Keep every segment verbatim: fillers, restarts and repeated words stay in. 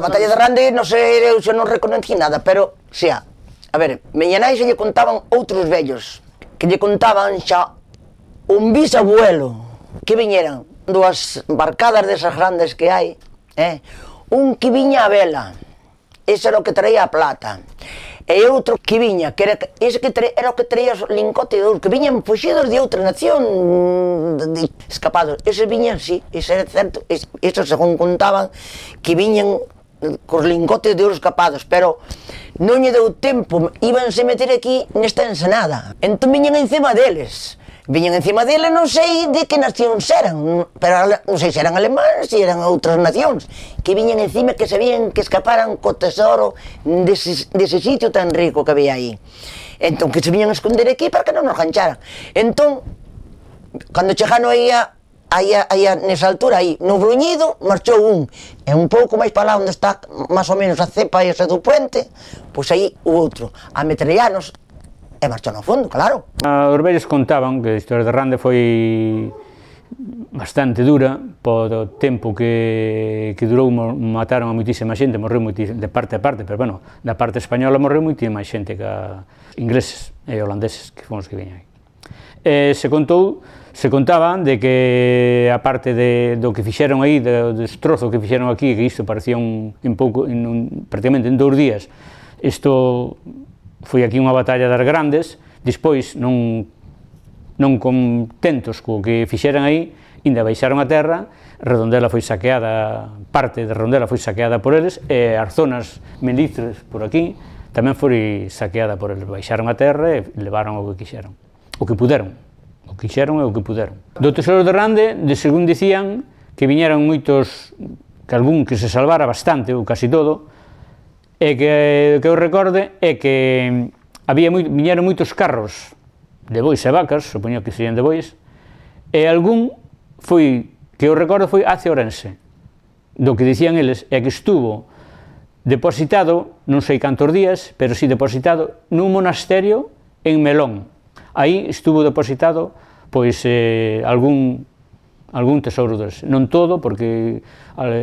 batalla de Rande, non sei, eu xa non reconocí nada, pero, xa, a ver, miña nai xa lle contaban outros vellos, que lle contaban xa un bisabuelo, que viñeran dúas barcadas desas grandes que hai, eh? Un que viña a vela, ese era o que traía a plata, e outro que viña, que era, ese que traía, era o que traía os lingotes de ouro, que viñan fuxidos de outra nación, de, escapados, eses viñan, sí, ese era certo, esos según contaban, que viñan cos lingotes de ouro escapados, pero non lle deu tempo, íbanse meter aquí nesta ensenada, entón viñan encima deles, viñan encima deles, non sei de que nacións eran, pero non sei se eran alemáns, se eran outras nacións, que viñan encima que sabían que escaparan co tesoro dese, dese sitio tan rico que había aí. Entón, que se viñan a esconder aquí para que non nos gancharan. Entón, cando chegaron aí a, aí a, aí a, nesa altura, aí, no Bruñido, marchou un, e un pouco máis para lá onde está máis ou menos a cepa esa do puente, pois aí o outro, a metrallarnos, e marchou no fondo, claro. Os vellos contaban que a historia de Rande foi bastante dura, po tempo que, que durou, mataron a moitísima xente, morreu moitísima, de parte a parte, pero bueno, da parte española morreu moitísima xente que a ingleses e holandeses, que fomos que viñan aí. E se contou, se contaban de que a parte de, do que fixeron aí, do destrozo que fixeron aquí, que isto parecía un, un pouco, en un, prácticamente en dous días, isto foi aquí unha batalla das grandes, despois non, non contentos co que fixeran aí, ainda baixaron a terra, Redondela foi saqueada, parte de Redondela foi saqueada por eles, e as zonas melíceres por aquí tamén foi saqueada por eles, baixaron a terra e levaron o que quixeron, o que puderon, o que quixeron e o que puderon. Do Tesoro de Rande, de según dicían, que viñeron moitos, que algún que se salvara bastante, ou casi todo, e que, que eu recorde é que había moi, viñeron moitos carros de bois e vacas, supoño que serían de bois, e algún foi, que eu recordo foi hacia Ourense, do que dicían eles, é que estuvo depositado, non sei cantos días, pero si depositado nun monasterio en Melón. Aí estuvo depositado, pois, eh, algún algún tesouro deles, non todo, porque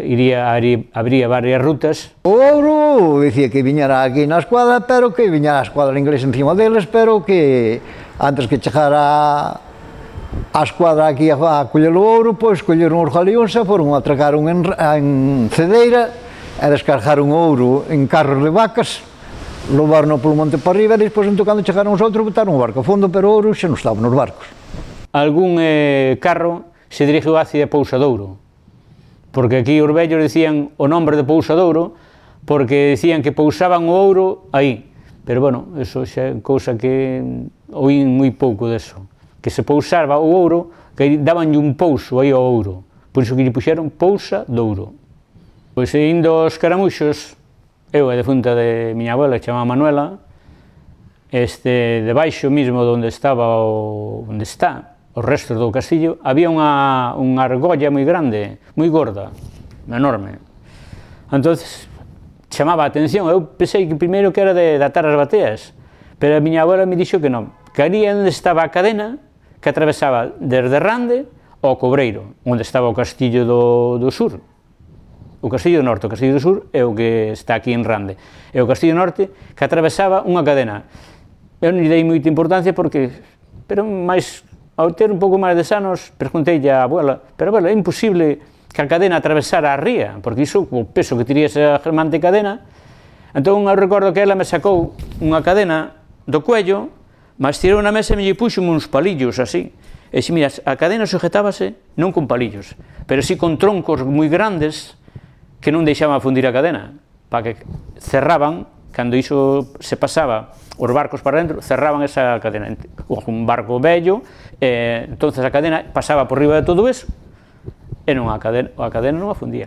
iría, habría varias rutas. O ouro, dicía que viñera aquí na escuadra, pero que viñera a escuadra inglesa encima deles, pero que antes que chegara a escuadra aquí a, a coller o ouro, pois colleron os galeóns e foron a atracaron en, en Cedeira e descargaron o ouro en carros de vacas, levaron polo monte para arriba e despois, entón, cando chegaron os outros, botaron o barco a fondo, pero o ouro xa non estaba nos barcos. Algún eh, carro se dirigiu hacia Pousadouro, porque aquí os vellos dicían o nombre de Pousadouro, porque dicían que pousaban o ouro aí, pero bueno, eso xa é cousa que oín moi pouco deso, que se pousaba o ouro, que dabanlle un pouso aí ao ouro, por iso que lle puxeron Pousadouro. Pois indo aos caramuxos, eu a defunta de miña abuela, que chamaba Manuela, este, debaixo mismo onde estaba o, onde está, os restos do castillo, había unha, unha argolla moi grande, moi gorda, enorme. Entonces, chamaba a atención, eu pensei que primeiro que era de, de atar as bateas, pero a miña abuela me dixo que non, que ali onde estaba a cadena, que atravesaba desde Rande ao Cobreiro, onde estaba o castillo do, do sur. O castillo do norte, o castillo do sur é o que está aquí en Rande, e o castillo do norte que atravesaba unha cadena. Eu non lle dei moita importancia porque, pero máis, ao ter un pouco máis de anos, pregunteille á abuela, pero abuela, é imposible que a cadena atravesara a ría, porque iso, o peso que tiría esa germante cadena, entón eu recordo que ela me sacou unha cadena do cuello, mas tirou na mesa e me lle puxo uns palillos así, e se miras, a cadena sujetábase non con palillos, pero si con troncos moi grandes que non deixaban fundir a cadena, para que cerraban, cando iso se pasaba os barcos para dentro, cerraban esa cadena, un barco vello, eh, entonces a cadena pasaba por riba de todo eso, e non a cadena, a cadena non a fundía.